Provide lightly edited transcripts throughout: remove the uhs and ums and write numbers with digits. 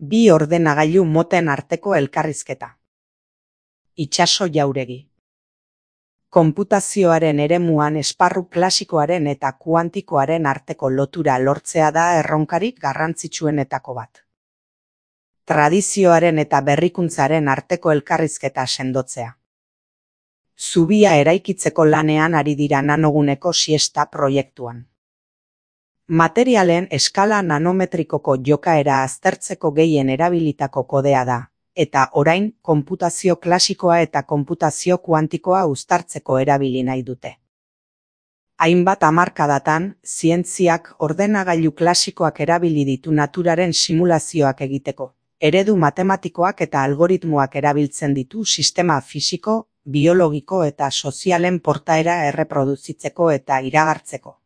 Bi ordenagailu moten arteko elkarrizketa. Itsaso Jauregi. Konputazioaren eremuan esparru klasikoaren eta kuantikoaren arteko lotura lortzea da erronkarik garrantzitsuenetako bat. Tradizioaren eta berrikuntzaren arteko elkarrizketa sendotzea. Zubia eraikitzeko lanean ari dira nanoguneko siesta proiektuan. Materialen eskala nanometrikoko jokaera aztertzeko gehien erabilitako kodea da, eta orain konputazio klasikoa eta konputazio kuantikoa uztartzeko erabili nahi dute. Hainbat hamarkadatan, zientziak ordenagailu klasikoak erabili ditu naturaren simulazioak egiteko, eredu matematikoak eta algoritmoak erabiltzen ditu sistema fisiko, biologiko eta sozialen portaera erreproduzitzeko eta iragartzeko.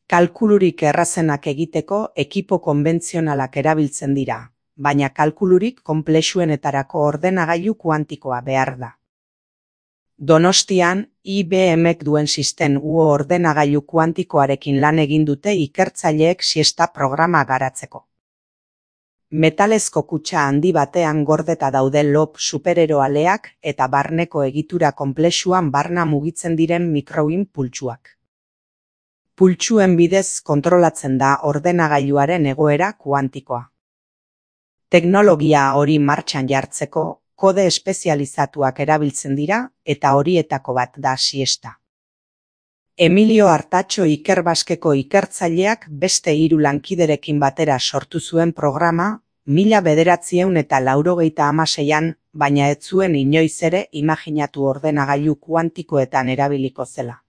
Kalkulurik errazenak egiteko ekipo konbentzionalak erabiltzen dira, baina kalkulurik konplexuenetarako ordenagailu kuantikoa behar da. Donostian, IBMek duen System U ordenagailu kuantikoarekin lan egin dute ikertzaileek siesta programa garatzeko. Metalezko kutxa handi batean gordeta daude lob supereroaleak eta barneko egitura konplexuan barna mugitzen diren mikroin pultsuak. Pultsuen bidez kontrolatzen da ordenagailuaren egoera kuantikoa. Teknologia hori martxan jartzeko, kode espezializatuak erabiltzen dira eta horietako bat da siesta. Emilio Artatxo Ikerbaskeko ikertzaileak beste 3 lankiderekin batera sortu zuen programa, 1996an, baina ez zuen inoiz ere imaginatu ordenagailu kuantikoetan erabiliko zela.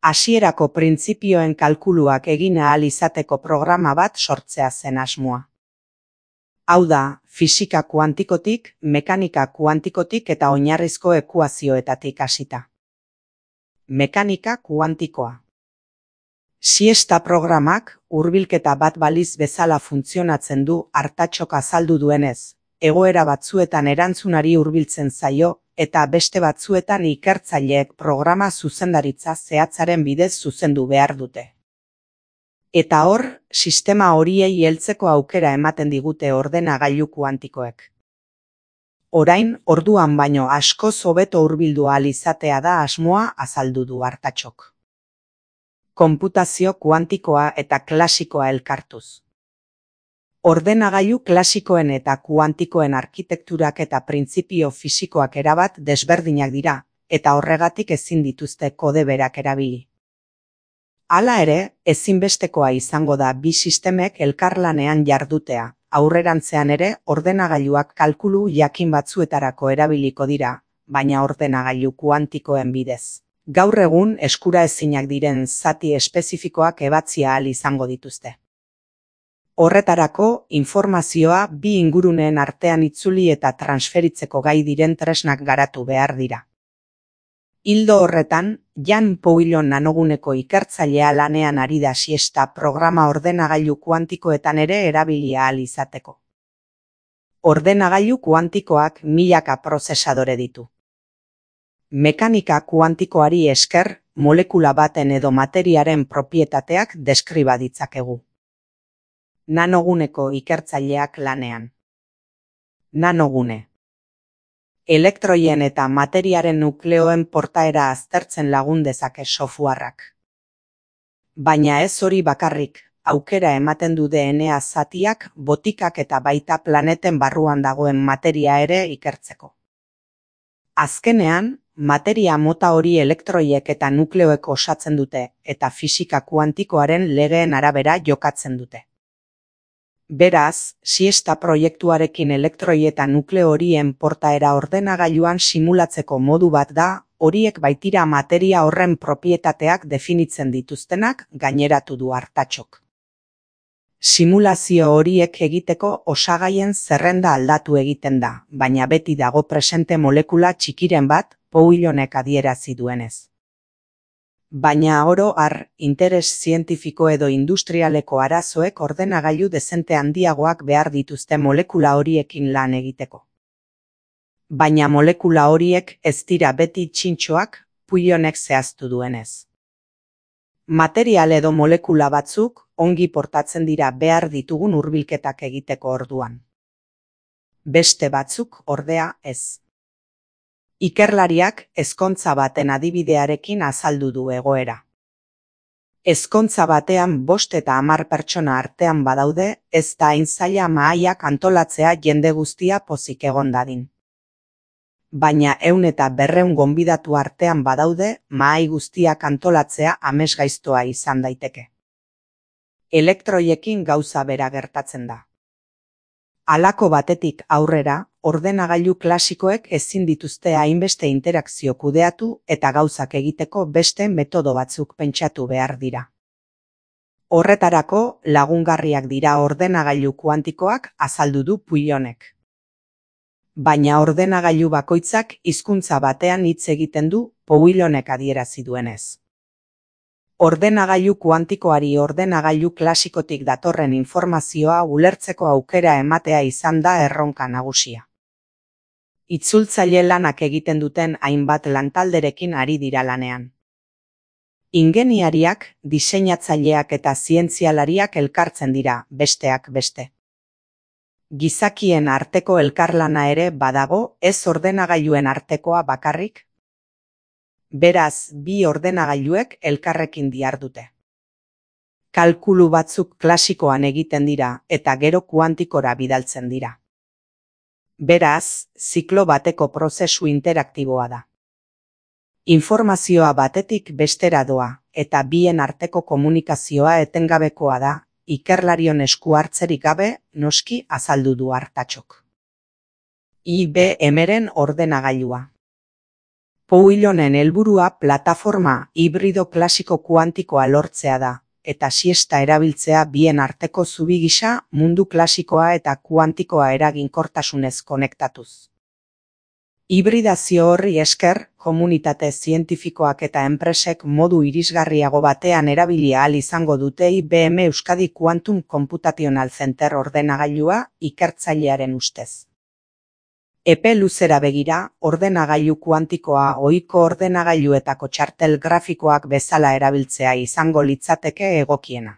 Hasierako printzipioen kalkuluak egin ahal izateko programa bat sortzea zen asmoa. Hau da, fisika kuantikotik, mekanika kuantikotik eta oinarrizko ekuazioetatik hasita. Mekanika kuantikoa. Siesta programak hurbilketa bat baliz bezala funtzionatzen du Artatxok azaldu duenez, egoera batzuetan erantzunari hurbiltzen zaio, eta beste batzuetan ikertzaileek programa zuzendaritza zehatzaren bidez zuzendu behar dute. Eta hor, sistema horiei heltzeko aukera ematen digute ordenagailu kuantikoek. Orain, orduan baino askoz hobeto hurbildu ahal izatea da asmoa azaldu du Artatxok. Konputazio kuantikoa eta klasikoa elkartuz. Ordenagailu klasikoen eta kuantikoen arkitekturak eta printzipio fisikoak erabat desberdinak dira, eta horregatik ezin dituzte kode berak erabili. Hala ere, ezinbestekoa izango da bi sistemek elkarlanean jardutea, aurrerantzean ere ordenagailuak kalkulu jakin batzuetarako erabiliko dira, baina ordenagailu kuantikoen bidez. Gaur egun eskuraezinak diren zati espezifikoak ebatzia ahal izango dituzte. Horretarako, informazioa bi inguruneen artean itzuli eta transferitzeko gai diren tresnak garatu behar dira. Ildo horretan, Jan Pouillon nanoguneko ikertzailea lanean ari da siesta programa ordenagailu kuantikoetan ere erabilia ahal izateko. Ordenagailu kuantikoak milaka prozesadore ditu. Mekanika kuantikoari esker, molekula baten edo materiaren propietateak deskriba ditzakegu. Nanoguneko ikertzaileak lanean. Nanogune. Elektroien eta materiaren nukleoen portaera aztertzen lagun dezake softwareak. Baina ez hori bakarrik, aukera ematen du DNA zatiak, botikak eta baita planeten barruan dagoen materia ere ikertzeko. Azkenean, materia mota hori elektroiek eta nukleoek osatzen dute, eta fisika kuantikoaren legeen arabera jokatzen dute. Beraz, siesta proiektuarekin elektroi eta nukleo horien portaera ordenagailuan simulatzeko modu bat da, horiek baitira materia horren propietateak definitzen dituztenak gaineratu du Artatxok. Simulazio horiek egiteko osagaien zerrenda aldatu egiten da, baina beti dago presente molekula txikiren bat, Pouillonek adierazi duenez. Baina oro har, interes zientifiko edo industrialeko arazoek ordenagailu dezente handiagoak behar dituzte molekula horiekin lan egiteko. Baina molekula horiek ez dira beti txintxoak, Pouillonek zehaztu duenez. Material edo molekula batzuk ongi portatzen dira behar ditugun hurbilketak egiteko orduan. Beste batzuk ordea ez. Ikerlariak ezkontza baten adibidearekin azaldu du egoera. Ezkontza batean 5 eta 10 pertsona artean badaude, ez da hain zaila mahaiak antolatzea jende guztia pozik egon dadin. Baina 100 eta 200 gonbidatu artean badaude, mahai guztiak antolatzea amesgaiztoa izan daiteke. Elektroiekin gauza bera gertatzen da. Halako batetik aurrera, ordenagailu klasikoek ezin dituzte hainbeste interakzio kudeatu eta gauzak egiteko beste metodo batzuk pentsatu behar dira. Horretarako lagungarriak dira ordenagailu kuantikoak, azaldu du Puillonek. Baina ordenagailu bakoitzak hizkuntza batean hitz egiten du, Puillonek adierazi duenez. Ordenagailu kuantikoari ordenagailu klasikotik datorren informazioa ulertzeko aukera ematea izan da erronka nagusia. Itzultzaile lanak egiten duten hainbat lantalderekin ari dira lanean. Ingeniariak, diseinatzaileak eta zientzialariak elkartzen dira, besteak beste. Gizakien arteko elkarlana ere badago, ez ordenagailuen artekoa bakarrik. Beraz, bi ordenagailuek elkarrekin dihardute. Kalkulu batzuk klasikoan egiten dira eta gero kuantikora bidaltzen dira. Beraz, ziklo bateko prozesu interaktiboa da. Informazioa batetik bestera doa eta bien arteko komunikazioa etengabekoa da, ikerlarion esku hartzerik gabe, noski, azaldu du Artatxok. IBM-ren ordenagailua. Puillonen helburua plataforma hibrido klasiko kuantikoa lortzea da, eta siesta erabiltzea bien arteko zubi gisa mundu klasikoa eta kuantikoa eraginkortasunez konektatuz. Hibridazio horri esker, komunitate zientifikoak eta enpresek modu irisgarriago batean erabili ahal izango dute IBM Euskadi Quantum Computational Center ordenagailua ikertzailearen ustez. Epe luzera begira, ordenagailu kuantikoa ohiko ordenagailuetako txartel grafikoak bezala erabiltzea izango litzateke egokiena.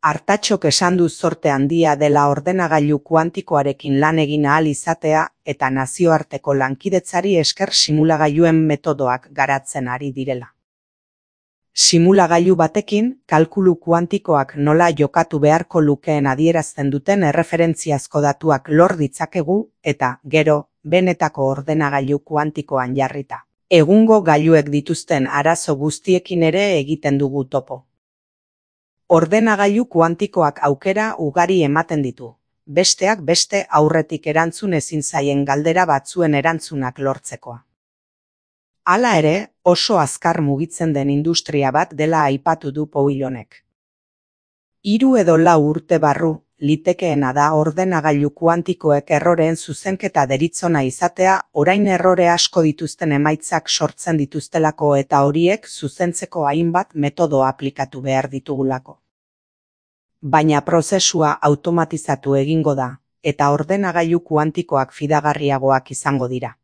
Artatxok esan du zorte handia dela ordenagailu kuantikoarekin lan egin ahal izatea eta nazioarteko lankidetzari esker simulagailuen metodoak garatzen ari direla. Simulagailu batekin, kalkulu kuantikoak nola jokatu beharko lukeen adierazten duten erreferentziazko datuak lor ditzakegu eta, gero, benetako ordenagailu kuantikoan jarrita. Egungo gailuek dituzten arazo guztiekin ere egiten dugu topo. Ordenagailu kuantikoak aukera ugari ematen ditu, besteak beste aurretik erantzun ezin zaien galdera batzuen erantzunak lortzekoa. Hala ere, oso azkar mugitzen den industria bat dela aipatu du Puillonek. 3 edo 4 urte barru, litekeena da ordenagailu kuantikoek erroreen zuzenketa deritzona izatea, orain errore asko dituzten emaitzak sortzen dituztelako eta horiek zuzentzeko hainbat metodo aplikatu behar ditugulako. Baina prozesua automatizatu egingo da, eta ordenagailu kuantikoak fidagarriagoak izango dira.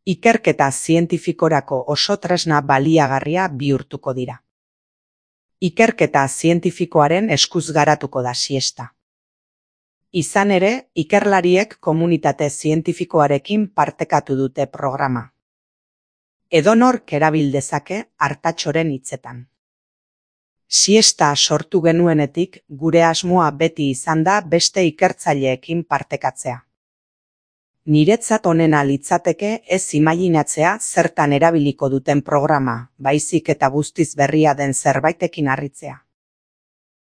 Ikerketa zientifikorako oso tresna baliagarria bihurtuko dira. Ikerketa zientifikoaren eskuz garatuko da siesta. Izan ere, ikerlariek komunitate zientifikoarekin partekatu dute programa. Edonork erabil dezake Artatxoren hitzetan. Siesta sortu genuenetik gure asmoa beti izan da beste ikertzaileekin partekatzea. Niretzat onena litzateke ez imaginatzea zertan erabiliko duten programa, baizik eta guztiz berria den zerbaitekin harritzea.